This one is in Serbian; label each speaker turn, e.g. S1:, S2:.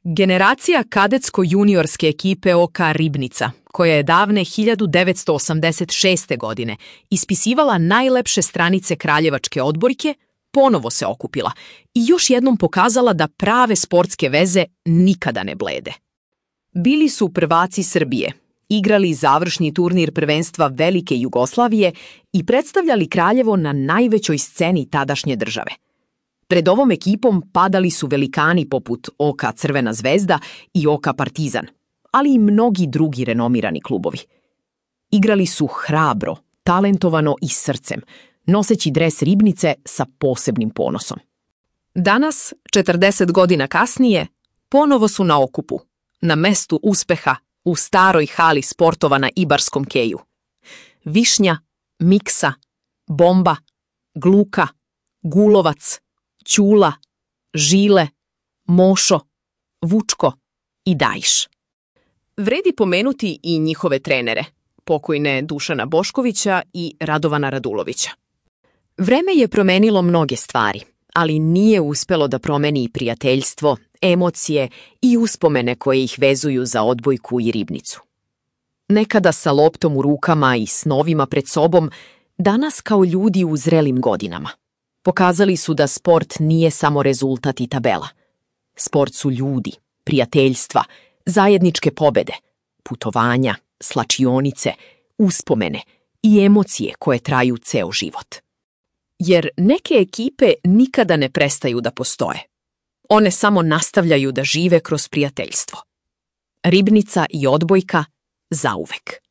S1: Generacija kadetsko-juniorske ekipe OK Ribnica, koja je davne 1986. godine ispisivala najlepše stranice kraljevačke odbojke, ponovo se okupila i još jednom pokazala da prave sportske veze nikada ne blede. Bili su prvaci Srbije, igrali završni turnir prvenstva Velike Jugoslavije i predstavljali Kraljevo na najvećoj sceni tadašnje države. Pred ovom ekipom padali su velikani poput OK Crvena zvezda i OK Partizan, ali i mnogi drugi renomirani klubovi. Igrali su hrabro, talentovano i srcem, noseći dres Ribnice sa posebnim ponosom. Danas, 40 godina kasnije, ponovo su na okupu, na mestu uspeha u staroj hali sportova na Ibarskom keju. Višnja, Miksa, Bomba, Gluka, Gulovac, Ćula, Žile, Mošo, Vučko i Dajiš. Vredi pomenuti i njihove trenere, pokojne Dušana Boškovića i Radovana Radulovića. Vreme je promenilo mnoge stvari, ali nije uspelo da promeni prijateljstvo, emocije i uspomene koje ih vezuju za odbojku i Ribnicu. Nekada sa loptom u rukama i snovima pred sobom, danas kao ljudi u zrelim godinama. Pokazali su da sport nije samo rezultat i tabela. Sport su ljudi, prijateljstva, zajedničke pobede, putovanja, slačionice, uspomene i emocije koje traju ceo život. Jer neke ekipe nikada ne prestaju da postoje. One samo nastavljaju da žive kroz prijateljstvo. Ribnica i odbojka zauvek.